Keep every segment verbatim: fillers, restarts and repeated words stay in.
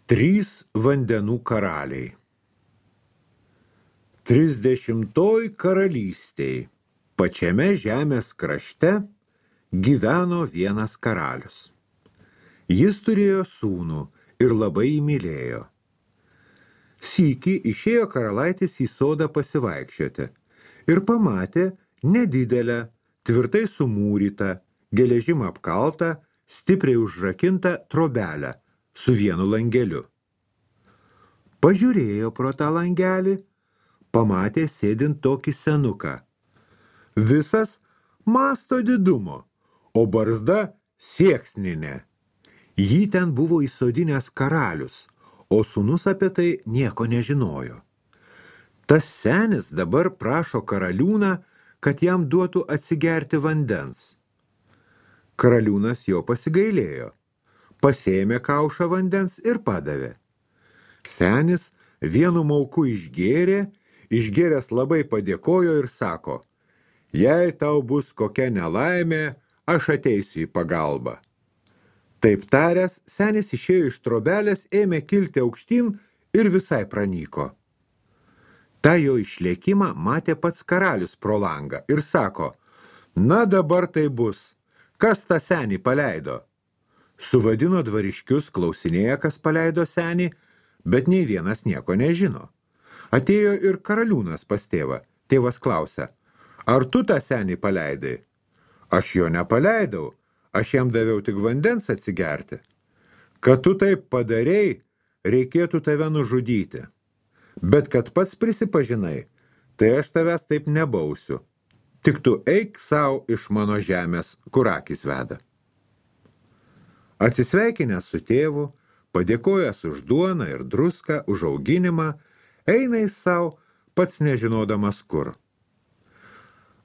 Trys vandenų karaliai. Trisdešimtoj karalystėj, pačiame žemės krašte, gyveno vienas karalius. Jis turėjo sūnų ir labai jį mylėjo. Sykį išėjo karalaitis į sodą pasivaikščioti ir pamatė nedidelę, tvirtai sumūrytą, geležim apkaltą, stipriai užrakintą trobelę su vienu langeliu. Pažiūrėjo pro tą langelį, pamatė sėdint tokį senuką. Visas masto didumo, o barzda sieksninė. Jį ten buvo įsodinęs karalius, o sūnus apie tai nieko nežinojo. Tas senis dabar prašo karaliūną, kad jam duotų atsigerti vandens. Karaliūnas jo pasigailėjo, pasėmė kaušą vandens ir padavė. Senis vienu mauku išgėrė, išgėręs labai padėkojo ir sako, jei tau bus kokia nelaimė, aš ateisiu į pagalbą. Taip taręs, senis išėjo iš trobelės, ėmė kilti aukštyn ir visai pranyko. Ta jo išlėkimą matė pats karalius pro langą ir sako, na dabar tai bus, kas tą senį paleido? Suvadino dvariškius, klausinėja, kas paleido senį, bet nei vienas nieko nežino. Atėjo ir karaliūnas pas tėvą. Tėvas klausia, ar tu tą senį paleidai? Aš jo nepaleidau, aš jam daviau tik vandens atsigerti. Kad tu taip padarei, reikėtų tave nužudyti. Bet kad pats prisipažinai, tai aš tavęs taip nebausiu. Tik tu eik sau iš mano žemės, kur akis veda. Atsisveikinęs su tėvu, padėkojęs už duoną ir druską, už auginimą, eina jis sau, pats nežinodamas kur.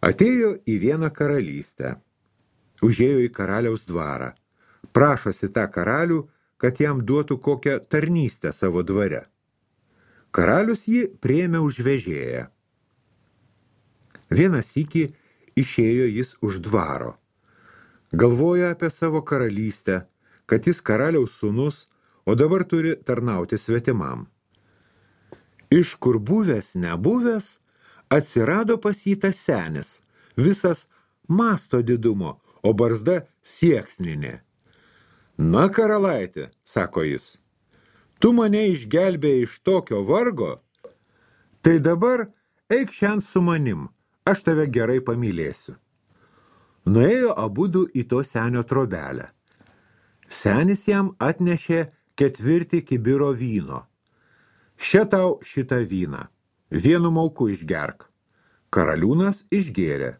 Atėjo į vieną karalystę, užėjo į karaliaus dvarą, prašosi tą karalių, kad jam duotų kokią tarnystę savo dvare. Karalius jį priėmė už vežėją. Vieną sykį išėjo jis už dvaro. Galvoja apie savo karalystę, kad jis karaliaus sūnus, o dabar turi tarnauti svetimam. Iš kur buvęs nebuvęs, atsirado pas jį tas senis, visas masto didumo, o barzda sieksninė. Na, karalaitė, sako jis, tu mane išgelbėjai iš tokio vargo, tai dabar eik šiandien su manim, aš tave gerai pamylėsiu. Nuėjo abudu į to senio trobelę. Senis jam atnešė ketvirtį kibiro vyno. Še tau šitą vyną, vienu mauku išgerk. Karaliūnas išgėrė.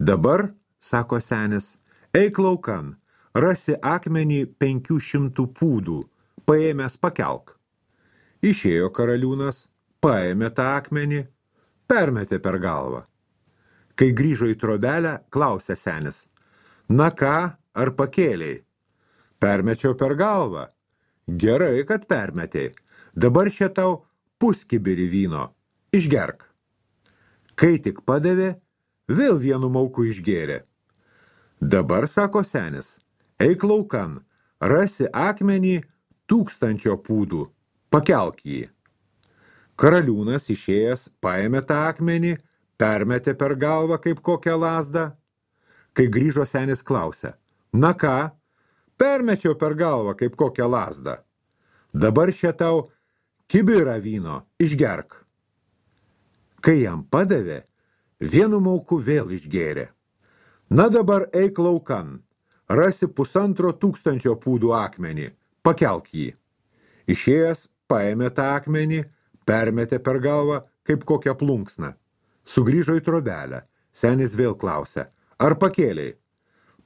Dabar, sako senis, eik laukan, rasi akmenį penkių šimtų pūdų, paėmęs pakelk. Išėjo karaliūnas, paėmė tą akmenį, permetė per galvą. Kai grįžo į trobelę, klausė senis, na ką, ar pakėlei? Permečiau per galvą. Gerai, kad permetei. Dabar še tau puskibirį vyno. Išgerk. Kai tik padavė, vėl vienu mauku išgėrė. Dabar, sako senis, eik laukan, rasi akmenį tūkstančio pūdų, pakelk jį. Karaliūnas išėjęs paėmė tą akmenį, permetė per galvą kaip kokią lazdą. Kai grįžo senis klausė, na ką, permečiau per galvą kaip kokią lazdą. Dabar še tau kibirą vyno, išgerk. Kai jam padavė, vienu mauku vėl išgėrė. Na dabar eik laukan, rasi pusantro tūkstančio pūdų akmenį, pakelk jį. Išėjęs paėmė tą akmenį, permetė per galvą kaip kokią plunksną. Sugrįžo į trobelę. Senis vėl klausė, ar pakėlei?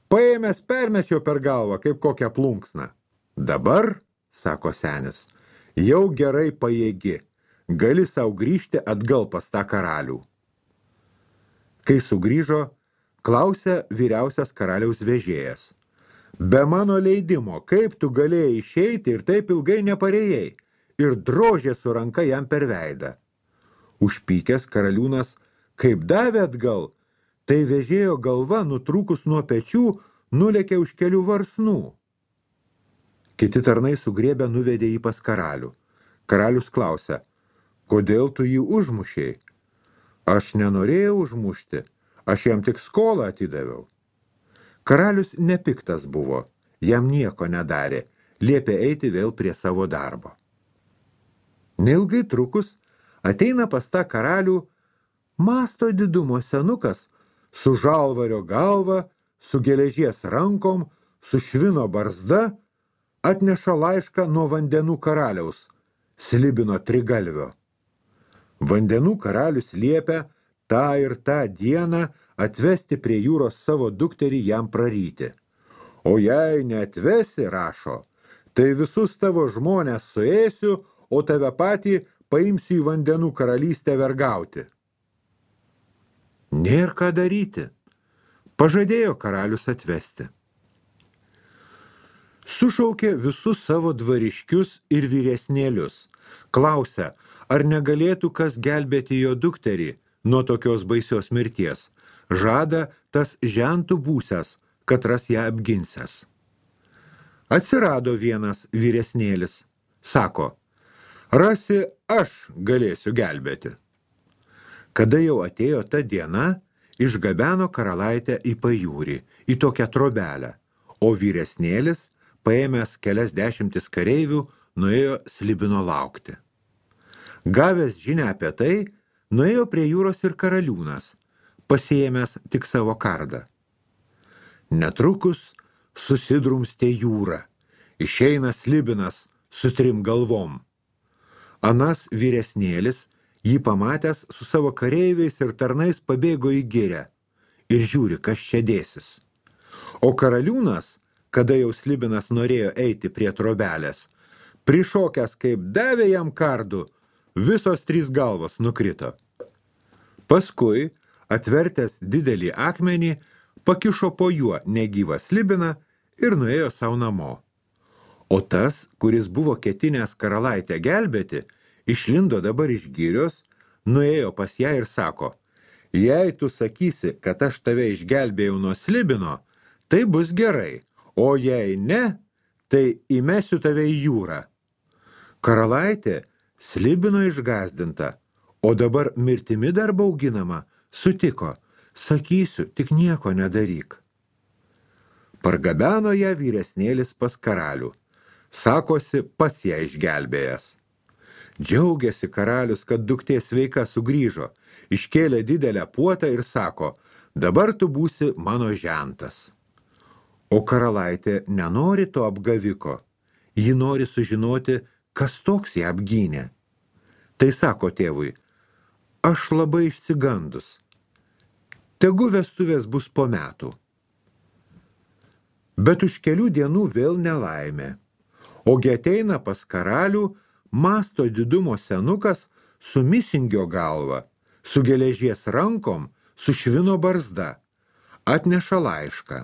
Paėmęs permečiau per galvą kaip kokią plunksną. Dabar, sako senis, jau gerai pajėgi, gali sau grįžti atgal pas tą karalių. Kai sugrįžo, klausė vyriausias karaliaus vežėjas. Be mano leidimo, kaip tu galėjai išeiti ir taip ilgai neparėjai, ir drožė su ranka jam per veidą. Užpykęs karaliūnas, kaip davė atgal, tai vežėjo galva, nutrūkus nuo pečių, nulėkė už kelių varsnų. Kiti tarnai sugriebę nuvedė jį pas karalių. Karalius klausia, kodėl tu jį užmušėjai? Aš nenorėjau užmušti, aš jam tik skolą atidaviau. Karalius nepiktas buvo, jam nieko nedarė, liepė eiti vėl prie savo darbo. Neilgai trukus ateina pas tą karalių masto didumo senukas su žalvario galva, su geležies rankom, su švino barzda, atneša laišką nuo vandenų karaliaus, Slibino trigalvio. Vandenų karalius liepia tą ir tą dieną atvesti prie jūros savo dukterį jam praryti. O jei neatvesi, rašo, tai visus tavo žmonės suėsiu, o tave patį paimsiu į vandenų karalystę vergauti. Nėr ką daryti. Pažadėjo karalius atvesti. Sušaukė visus savo dvariškius ir vyresnėlius. Klausia, ar negalėtų kas gelbėti jo dukterį nuo tokios baisios mirties. Žada tas žentų būsęs, kad ras ją apginsęs. Atsirado vienas vyresnėlis. Sako, rasi aš galėsiu gelbėti. Kada jau atėjo ta diena, išgabeno karalaitę į pajūrį, į tokią trobelę, o vyresnėlis, paėmęs kelias dešimtis kareivių, nuėjo Slibino laukti. Gavęs žinią apie tai, nuėjo prie jūros ir karaliūnas, pasiėmęs tik savo kardą. Netrukus susidrumstė jūra, išeina Slibinas su trim galvom. Anas vyresnėlis, jį pamatęs su savo kareiviais ir tarnais pabėgo į girę ir žiūri, kas čia dėsis. O karaliūnas, kada jau Slibinas norėjo eiti prie trobelės, prišokęs kaip davė jam kardų, visos trys galvos nukrito. Paskui, atvertęs didelį akmenį, pakišo po juo negyvą Slibiną ir nuėjo savo namo. O tas, kuris buvo ketinęs karalaitę gelbėti, išlindo dabar iš girios, nuėjo pas ją ir sako, jei tu sakysi, kad aš tave išgelbėjau nuo Slibino, tai bus gerai, o jei ne, tai įmesiu tave į jūrą. Karalaitė Slibino išgazdinta, o dabar mirtimi dar bauginama, sutiko, sakysiu, tik nieko nedaryk. Pargabeno ją vyresnėlis pas karalių, sakosi pats ją išgelbėjęs. Džiaugiasi karalius, kad duktė sveika sugrįžo, iškėlė didelę puotą ir sako, dabar tu būsi mano žentas. O karalaitė nenori to apgaviko, ji nori sužinoti, kas toks ją apgynė. Tai sako tėvui, aš labai išsigandus, tegu vestuvės bus po metų. Bet už kelių dienų vėl nelaimė, ogi ateina pas karalių masto didumo senukas su misingio galva, su geležies rankom, su švino barzda, atneša laišką.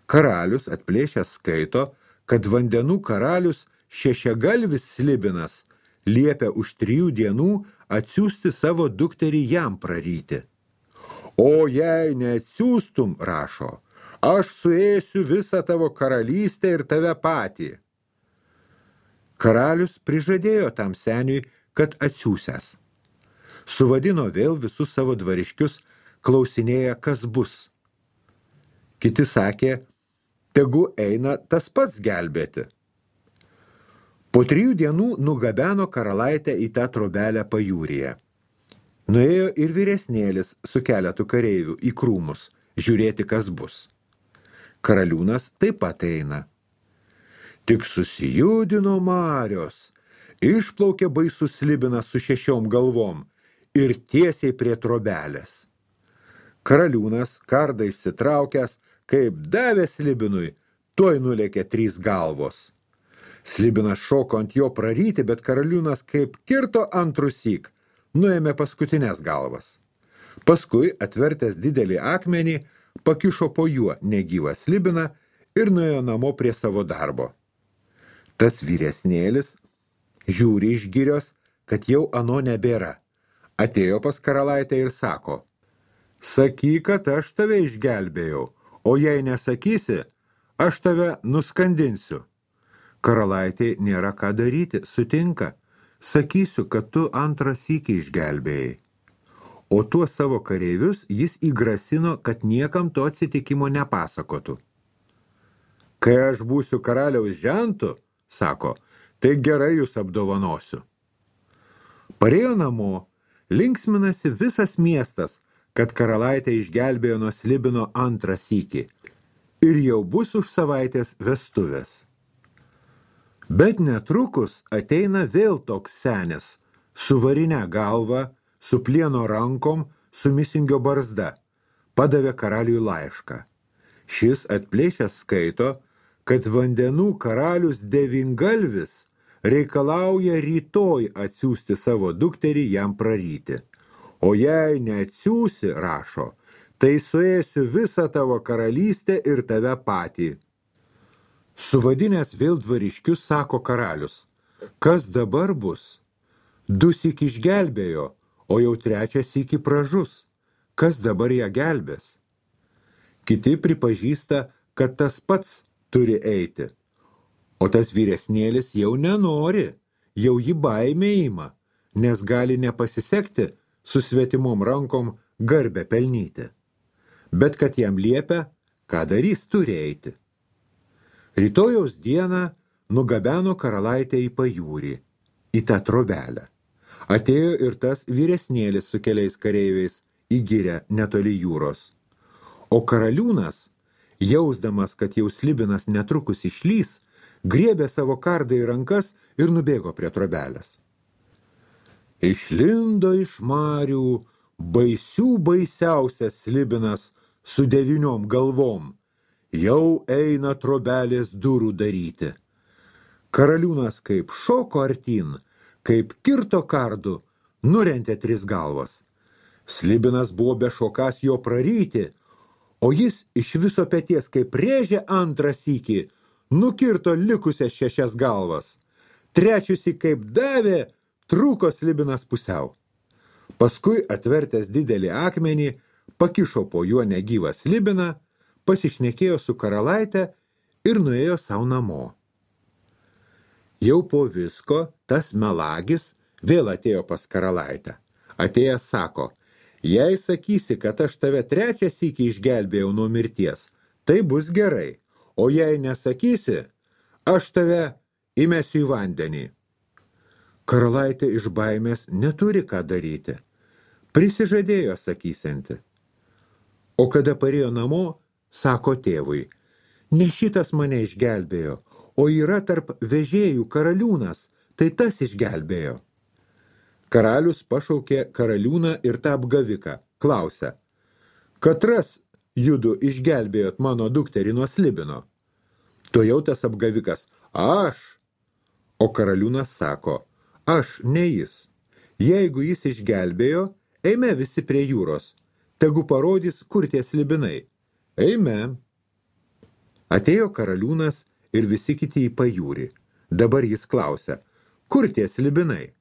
Karalius atplėšęs skaito, kad vandenų karalius šešiagalvis Slibinas liepia už trijų dienų atsiųsti savo dukterį jam praryti. O jei neatsiųstum, rašo, aš suėsiu visą tavo karalystę ir tave patį. Karalius prižadėjo tam seniui, kad atsiųsęs. Suvadino vėl visus savo dvariškius, klausinėja, kas bus. Kiti sakė, tegu eina tas pats gelbėti. Po trijų dienų nugabeno karalaitę į tą trobelę pajūryje. Nuėjo ir vyresnėlis su keletu kareivių į krūmus, žiūrėti, kas bus. Karaliūnas taip pat eina. Tik susijudino marios, išplaukė baisus Slibinas su šešiom galvom ir tiesiai prie trobelės. Karaliūnas, kardą išsitraukęs, kaip davė Slibinui, tuoj nulėkė trys galvos. Slibinas šoko ant jo praryti, bet karaliūnas kaip kirto antrusyk, nuėmė paskutinės galvas. Paskui, atvertęs didelį akmenį, pakišo po juo negyvą Slibiną ir nuėjo namo prie savo darbo. Tas vyresnėlis žiūri iš girios, kad jau ano nebėra. Atėjo pas karalaitę ir sako, sakyk, kad aš tave išgelbėjau, o jei nesakysi, aš tave nuskandinsiu. Karalaitei nėra ką daryti, sutinka. Sakysiu, kad tu antrą sykį išgelbėjai. O tuo savo kareivius jis įgrasino, kad niekam to atsitikimo nepasakotų. Kai aš būsiu karaliaus žentu, sako, tai gerai jūs apdovanosiu. Parėjo namo, linksminasi visas miestas, kad karalaitė išgelbėjo nuo Slibino antrą sykį. Ir jau bus už savaitės vestuvės. Bet netrukus ateina vėl toks senis, su varine galva, su plieno rankom, su misingio barzda. Padavė karaliui laišką. Šis atplėšęs skaito, kad vandenų karalius Devyngalvis reikalauja rytoj atsiųsti savo dukterį jam praryti. O jei neatsiųsi, rašo, tai suėsiu visą tavo karalystę ir tave patį. Suvadinęs vėl dvariškius, sako karalius, kas dabar bus? Du syk išgelbėjo, o jau trečią sykį pražus. Kas dabar ją gelbės? Kiti pripažįsta, kad tas pats turi eiti. O tas vyresnėlis jau nenori, jau jį baimė ima, nes gali nepasisekti su svetimom rankom garbę pelnyti. Bet kad jam liepia, ką darys, turi eiti. Rytojaus dieną nugabeno karalaitę į pajūrį, į tą trobelę. Atėjo ir tas vyresnėlis su keliais kareiviais į girią netoli jūros. O karaliūnas, jausdamas, kad jau Slibinas netrukus išlys, griebė savo kardą į rankas ir nubėgo prie trobelės. Išlindo iš marių baisių baisiausias Slibinas su devyniom galvom. Jau eina trobelės durų daryti. Karaliūnas kaip šoko artin, kaip kirto kardu, nurentė tris galvas. Slibinas buvo bešokas jo praryti, o jis iš viso peties kaip rėžė antrą sykį, nukirto likusias šešias galvas. Trečiusi kaip davė, trūko Slibinas pusiau. Paskui atvertęs didelį akmenį, pakišo po juo negyvą Slibiną, pasišnekėjo su karalaite ir nuėjo savo namo. Jau po visko tas melagis vėl atėjo pas karalaitę. Atėjęs sako, jei sakysi, kad aš tave trečią sykį išgelbėjau nuo mirties, tai bus gerai, o jei nesakysi, aš tave įmesiu į vandenį. Karalaitė iš baimės neturi ką daryti. Prisižadėjo sakysianti. O kada parėjo namo, sako tėvui, ne šitas mane išgelbėjo, o yra tarp vežėjų karaliūnas, tai tas išgelbėjo. Karalius pašaukė karaliūną ir tą apgaviką, klausia, katras judu išgelbėjot mano dukterį nuo Slibino? Tojau tas apgavikas, aš. O karaliūnas sako, aš ne jis. Jeigu jis išgelbėjo, eime visi prie jūros, tegu parodys, kur tie slibinai. Eime. Atėjo karaliūnas ir visi kiti į pajūrį. Dabar jis klausia, kur tie slibinai?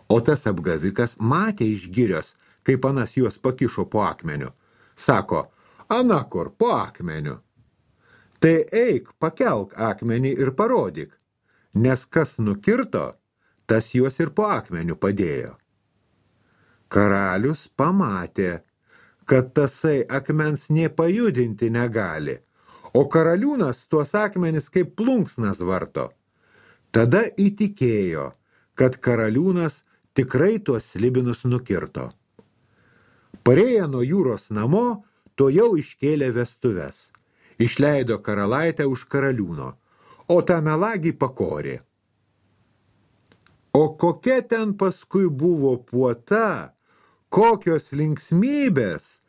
O tas apgavikas matė iš girios, kaip anas juos pakišo po akmeniu. Sako, ana kur, po akmeniu. Tai eik, pakelk akmenį ir parodyk, nes kas nukirto, tas juos ir po akmeniu padėjo. Karalius pamatė, kad tasai akmens nė pajudinti negali, o karaliūnas tuos akmenis kaip plunksnas varto. Tada įtikėjo, kad karaliūnas tikrai tuos slibinus nukirto. Parėję nuo jūros namo, to jau iškėlė vestuves. Išleido karalaitę už karaliūno, o tą melagį pakorė. O kokia ten paskui buvo puota, kokios linksmybės,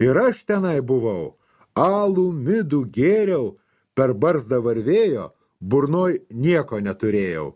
ir aš tenai buvau, alų midų gėriau, per barzdą varvėjo, burnoj nieko neturėjau.